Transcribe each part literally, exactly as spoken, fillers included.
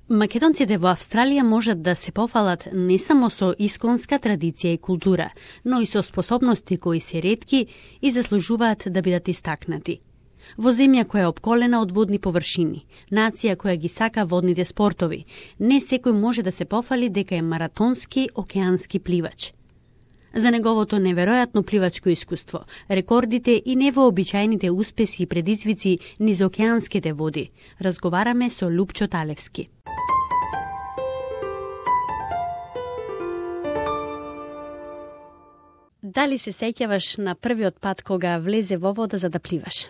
Македонците во Австралија можат да се пофалат не само со исконска традиција и култура, но и со способности кои се ретки и заслужуваат да бидат истакнати. Во земја која е опколена од водни површини, нација која ги сака водните спортови, не секој може да се пофали дека е маратонски океански пливач. За неговото неверојатно пливачко искуство, рекордите и невообичаените успеси и предизвици низ океанските води, разговараме со Лупчо Талевски. Дали се сеќаваш на првиот пат кога влезе во вода за да пливаш?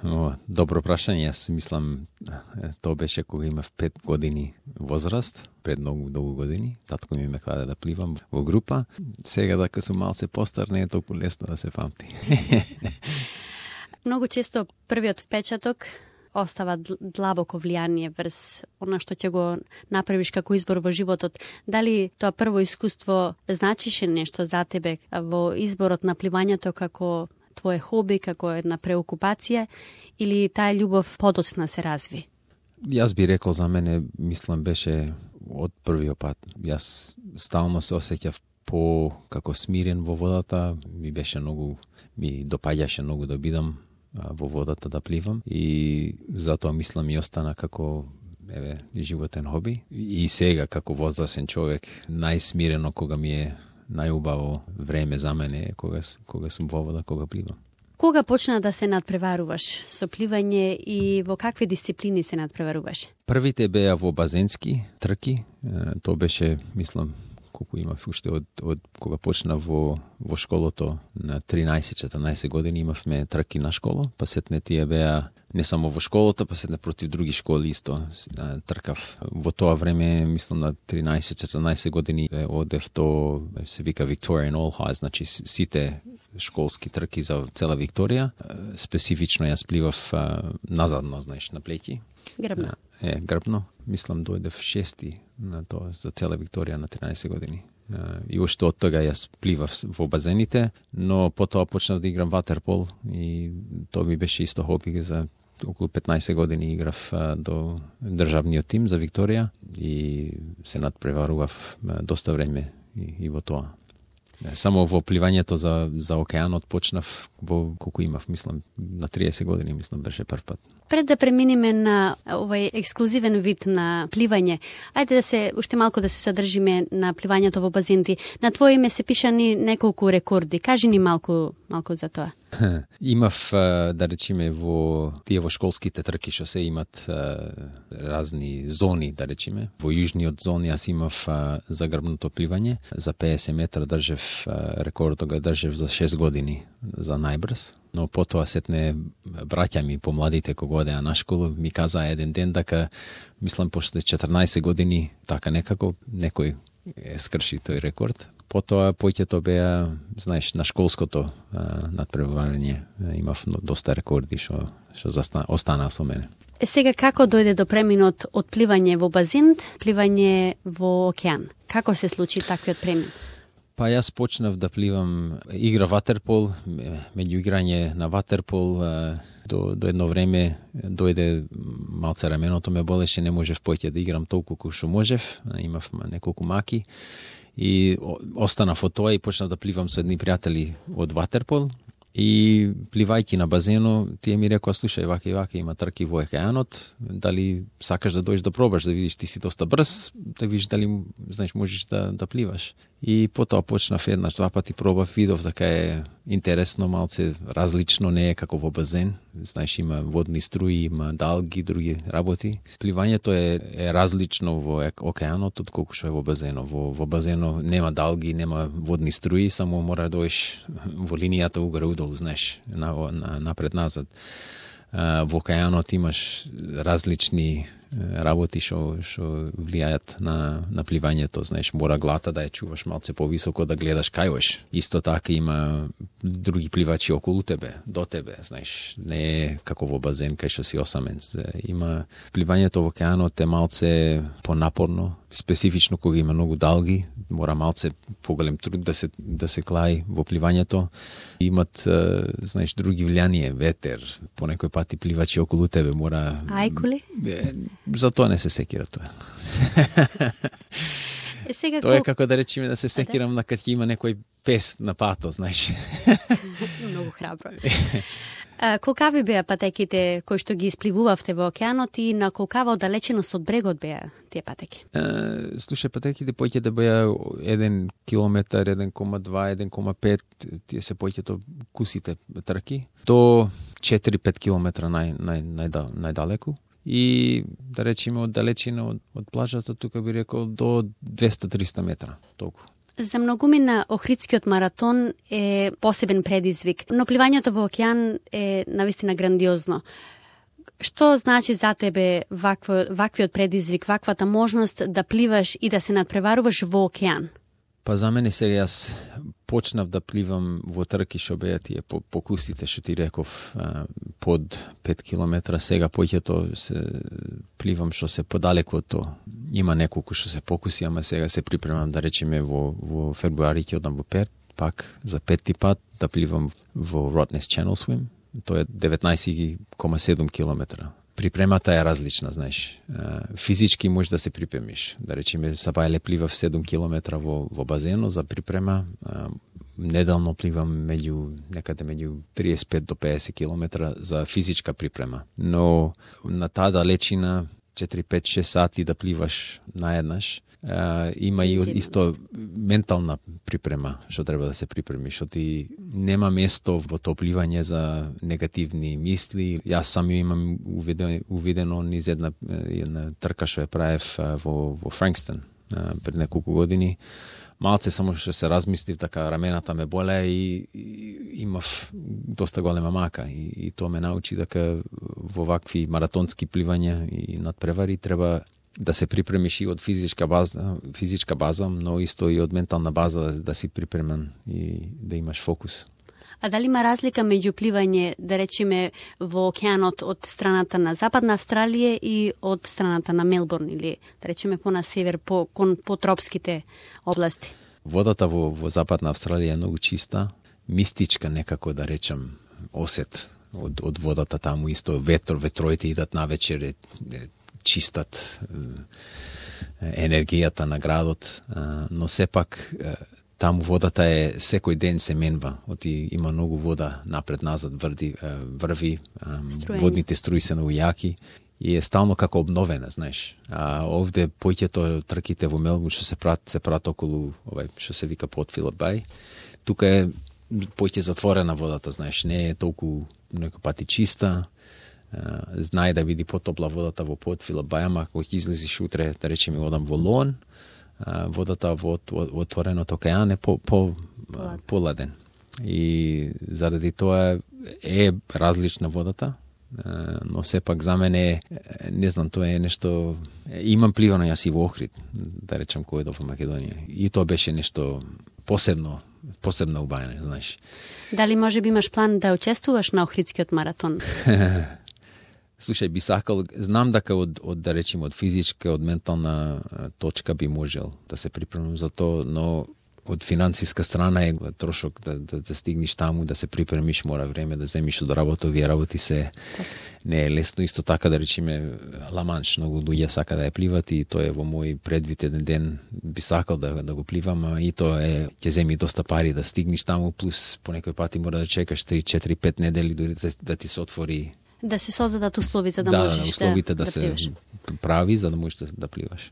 О, добро прашање. Јас мислам, тоа беше кога имав пет години возраст, пред многу долго години. Татко ми ме кладе да пливам во група. Сега дека сум малце постар, не е толку лесно да се памти. Многу често првиот впечаток остава длабоко влијание врз она што ќе го направиш како избор во животот. Дали тоа прво искуство значише нешто за тебе во изборот на пливањето како твое хоби, како една преокупација, или таа љубов подоцна се разви? Јас би рекол, за мене, мислам, беше од првиот пат. Јас стално се осеќав по како смирен во водата, ми беше многу, ми допаѓаше многу да бидам во водата да пливам и затоа мислам и остана како еве животен хоби. И сега како возрасен човек најсмирено кога ми е најубаво време за мене кога кога сум во вода, кога пливам. Кога почна да се надпреваруваш со пливање и во какви дисциплини се надпреваруваш? Првите беа во базенски трки, тоа беше, мислам, колку имав уште од, од кога почна во, во школото на тринаесет-четрнаесет години имавме трки на школа, па сетне тие беа не само во школото, па сетне против други школи исто тркав. Во тоа време, мислам на тринаесет-четрнаесет години одев то се вика Victorian All High, значи сите школски трки за цела Викторија. Специфично јас пливав назадно, знаеш, на плеќи. Грбно. Е, грбно. Мислам дојдев шести на тоа за цела Викторија на тринаесет години. И уште од тога јас пливав во базените, но потоа почнав да играм ватерпол и тоа ми беше исто хоби. За околу петнаесет години играв до државниот тим за Викторија и се надпреварував доста време и, и во тоа. Само во пливањето за, за океанот почнав во колку имав, мислам, на триесет години, мислам, беше прв пат. Пред да преминеме на овој ексклузивен вид на пливање, ајде да се уште малку да се задржиме на пливањето во базенти. На твое име се пишани неколку рекорди. Кажи ни малку малку за тоа. Имав, да речеме, во тие во школските трки што се имат разни зони, да речеме. Во јужниот зон јас имав за грбното пливање, за педесет метра држев рекордот, го држев за шест години за најбрз. Но потоа сетне браќа ми помладите кога одеа на школа ми казаа еден ден дека мислам после четрнаесет години така некако некој е скрши тој рекорд. Потоа поќето беа, знаеш, на школското надпреварување имав доста рекорди што што останаа со мене. Е сега како дојде до преминот од пливање во базен, пливање во океан? Како се случи таквиот премин? Па јас почнав да пливам, игра ватерпол, меѓу играње на ватерпол до, до едно време дојде малце раменото ме болеше, не можев поќе да играм толку колку што можев, имав неколку маки и останав од тоа и почнав да пливам со едни пријатели од ватерпол. И пливајќи на базено, тие ми рекоа, слушај, вака и вака има трки во океанот, дали сакаш да дојдеш да пробаш, да видиш, ти си доста брз, да видиш дали, знаеш, можеш да, да пливаш. И потоа почнав еднаш, два пати пробав, видов дека е интересно, малце различно, не е како во базен. Знаеш, има водни струи, има далги, други работи. Пливањето е, е различно во океанот од колку што е во базено. Во, во базено нема далги, нема водни струи, само мора да дојдеш во линијата угоре-удолу, знаеш, на, на, напред-назад. Во океанот имаш различни работи што што влијаат на на пливањето, знаеш, мора глата да ја чуваш малце повисоко, да гледаш кај. Исто така има други пливачи околу тебе, до тебе, знаеш, не е како во базен кај што си осамен. Има пливањето во океанот е малце понапорно, специфично кога има многу далги, мора малце поголем труд да се да се клаи во пливањето. Имат, знаеш, други влијание, ветер, по некој пати пливачи околу тебе мора. Ајкули? За тоа не се секира тоа. Е, сега Тоа е кол... како да речеме да се секирам на кога има некој пес на пато, знаеш. Многу храбро. А, колкави беа патеките кои што ги испливувавте во океанот и на колкава оддалеченост од брегот беа тие патеки? Uh, слушај, патеките поќе да беа еден километар, еден кома два, еден кома пет, тие се поќето кусите трки, до четири-пет километра нај, нај, најда, најдалеку. И да речеме од далечина од, од плажата, тука би рекол до двеста-триста метра, толку. За многумина Охридскиот маратон е посебен предизвик, но пливањето во океан е навистина грандиозно. Што значи за тебе вакво, ваквиот предизвик, ваквата можност да пливаш и да се надпреваруваш во океан? Па за мене сега јас почнав да пливам во трки што беа тие по, по кустите што ти реков а, под пет километра, сега поќето се пливам што се подалеку од тоа. Има неколку што се покуси, ама сега се припремам да речеме во, во февруари ќе одам во Перт, пак за петти пат да пливам во Rottnest Channel Swim. Тоа е деветнаесет кома седум километра. Припремата е различна, знаеш. Физички можеш да се припремиш. Да речеме, сабајле пливав седум километра во, во базено за припрема. Неделно пливам меѓу, некаде меѓу триесет и пет до педесет километра за физичка припрема. Но на таа далечина четири, пет, шест сати да пливаш наеднаш, Uh, има и исто ментална припрема што треба да се припреми, што ти нема место во тоа пливање за негативни мисли. Јас сам имам увидено, увидено низ една, една трка што ја правев во, во Франкстон uh, пред неколку години. Малце само што се размислив, така рамената ме болеа и, и имав доста голема мака и, и тоа ме научи дека во вакви маратонски пливања и надпревари треба да се припремиш и од физичка база, физичка база, но исто и од ментална база да си припремен и да имаш фокус. А дали има разлика меѓу пливање, да речеме, во океанот од страната на Западна Австралија и од страната на Мелбурн или да речеме по на север, по кон по тропските области? Водата во, во Западна Австралија е многу чиста, мистичка некако да речем осет од, од водата таму, исто ветро, ветроите идат навечер, е, е, чистат енергијата на градот, но сепак таму водата е секој ден се менва, оти има многу вода напред-назад врди, врви, Струени. Водните струи се многу јаки и е стално како обновена, знаеш. А овде поќето трките во Мелбурн што се прат се прат околу овај што се вика Port Phillip Bay. Тука е поќе затворена водата, знаеш, не е толку некој пати чиста. Uh, знае да види потопла водата во Port Phillip Bay, ама ако ќе излезиш утре, да речеме, одам во Лон, uh, водата во, во, во отвореното океан е по, по, uh, поладен. И заради тоа е различна водата, uh, но сепак за мене, не знам, тоа е нешто... Имам пливано јас и во Охрид, да речем, кој до во Македонија. И тоа беше нешто посебно, посебно убајане, знаеш. Дали може би имаш план да учествуваш на Охридскиот маратон? Слушај, би сакал, знам дека од, од да речем, од физичка, од ментална точка би можел да се припремам за тоа, но од финансиска страна е трошок да, да, да стигнеш таму, да се припремиш, мора време да земиш од работа, овие работи се не е лесно. Исто така да речеме Ла-Манш, многу луѓе сака да ја пливат и тоа е во мој предвид еден ден би сакал да, да го пливам, а и тоа е ќе земи доста пари да стигнеш таму, плюс по некој пати мора да чекаш три, четири, пет недели дури да, да ти се отвори. Да се создадат услови за да, да можеш да, условите да, да, да се пливаш. Прави за да можеш да, да пливаш.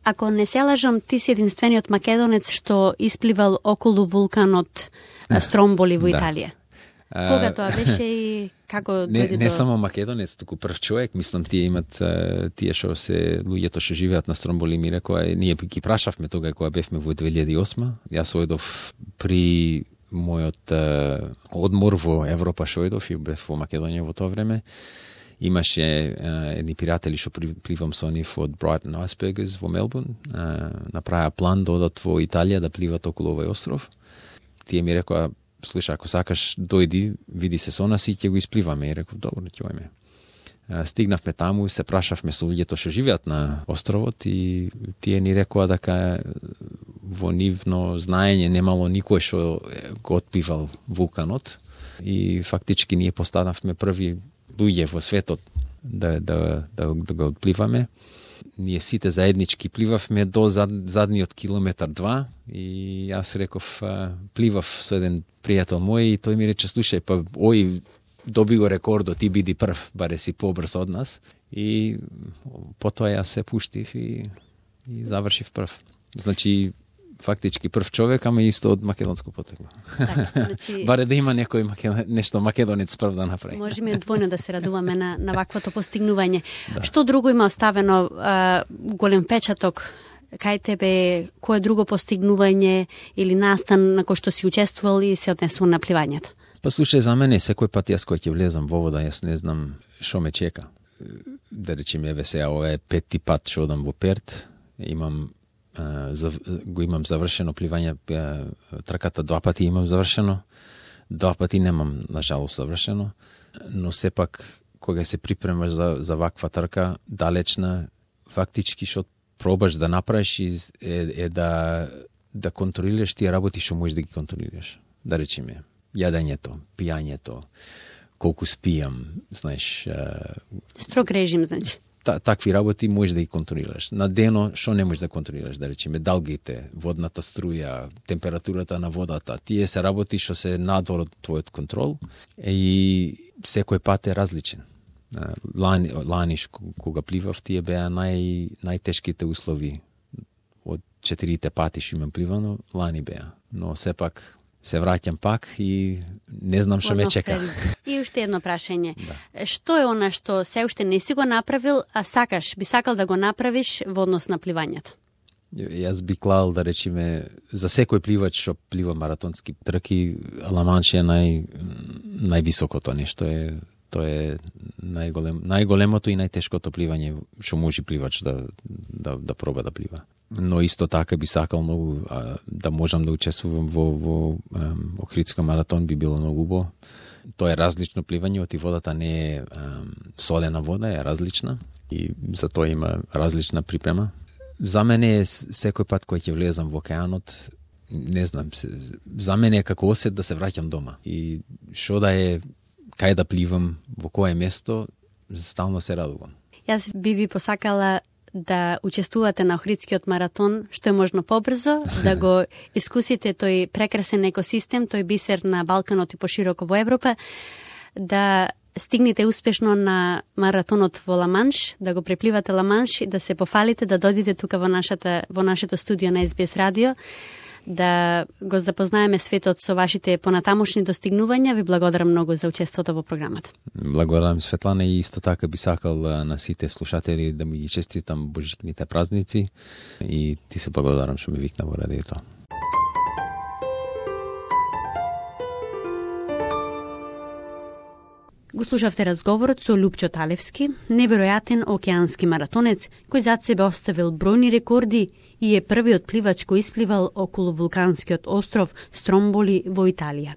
Ако не се лажам, ти си единствениот македонец што испливал околу вулканот Стромболи во Италија. Кога тоа беше и како не, дојде не до... само македонец, туку прв човек, мислам тие имат тие што се луѓето што живеат на Стромболи ми рекоа, ние ги прашавме тога кога бевме во две илјади и осма. Јас ојдов при мојот uh, одмор во Европа што ојдов и бев во Македонија во тоа време. Имаше uh, едни пријатели што пливам со нив од Brighton Icebergers во Мелбурн. Uh, направија план да одат во Италија да пливат околу овој остров. Тие ми рекоа, слуша, ако сакаш дојди, види се со нас и ќе го испливаме. И реков, добро, ќе ојме. Uh, стигнавме таму, се прашавме со луѓето што живеат на островот и тие ни рекоа дека во нивно знаење немало никој што го отпливал вулканот и фактички ние постанавме први луѓе во светот да, да, да, да го отпливаме. Ние сите заеднички пливавме до зад, задниот километар два и јас реков, пливав со еден пријател мој и тој ми рече, слушај, па ој доби го рекордот, ти биди прв, баре си побрз од нас. И потоа јас се пуштив и, и завршив прв. Значи, фактички прв човек, ама исто од македонско потекло. Так, значи... Баре да има некој македон... нешто македонец прв да направи. Можеме двојно да се радуваме на, на ваквото постигнување. Да. Што друго има оставено, а, голем печаток кај тебе, кое друго постигнување или настан на кој што си учествувал и се однесува на пливањето? Па слушај, за мене секој пат јас кој ќе влезам во вода, јас не знам што ме чека. Да речеме, еве сега, ова е петти пат што одам во Перт, имам Uh, за, го имам завршено пливање, uh, трката два пати имам завршено, два пати немам, на жалост, завршено, но сепак, кога се припремаш за, за ваква трка, далечна, фактички што пробаш да направиш е, е да, да контролираш тие работи што можеш да ги контролираш. Да речеме, јадењето, пијањето, колку спијам, знаеш... Uh, Строг режим, значи. Та, такви работи можеш да ги контролираш. На дено што не можеш да контролираш, да речеме далгите, водната струја, температурата на водата. Тие се работи што се надвор од твојот контрол и секој пат е различен. Лани, лани кога пливав, тие беа нај, најтешките услови од четирите пати што имам пливано, лани беа. Но сепак се враќам пак и не знам што ме чека. И уште едно прашање. Да. Што е она што се уште не си го направил, а сакаш, би сакал да го направиш во однос на пливањето? Јас би клал, да речеме, за секој пливач што плива маратонски трки, Ла Манш е нај, највисокото нешто е, тоа е најголем, најголемото и најтешкото пливање што може пливач да, да, да проба да плива. Но исто така би сакал многу а, да можам да учествувам во, во ем, Охридски маратон, би било многу убаво. Тоа е различно пливање, оти водата не е ем, солена вода, е различна и за тоа има различна припрема. За мене е секој пат кој ќе влезам во океанот, не знам, за мене е како осет да се враќам дома. И што да е, кај да пливам, во кое место, стално се радувам. Јас би ви посакала да учествувате на Охридскиот маратон што е можно побрзо, да го искусите тој прекрасен екосистем, тој бисер на Балканот и пошироко во Европа, да стигнете успешно на маратонот во Ла Манш, да го препливате Ла Манш и да се пофалите, да дојдете тука во нашата во нашето студио на Ес Би Ес радио, да го запознаеме светот со вашите понатамошни достигнувања. Ви благодарам многу за учеството во програмата. Благодарам, Светлана, и исто така би сакал на сите слушатели да ми ги честитам божикните празници и ти се благодарам што ме викна во радиото. Го слушавте разговорот со Лупчо Талевски, неверојатен океански маратонец кој зад себе оставил бројни рекорди и е првиот пливач кој испливал околу вулканскиот остров Стромболи во Италија.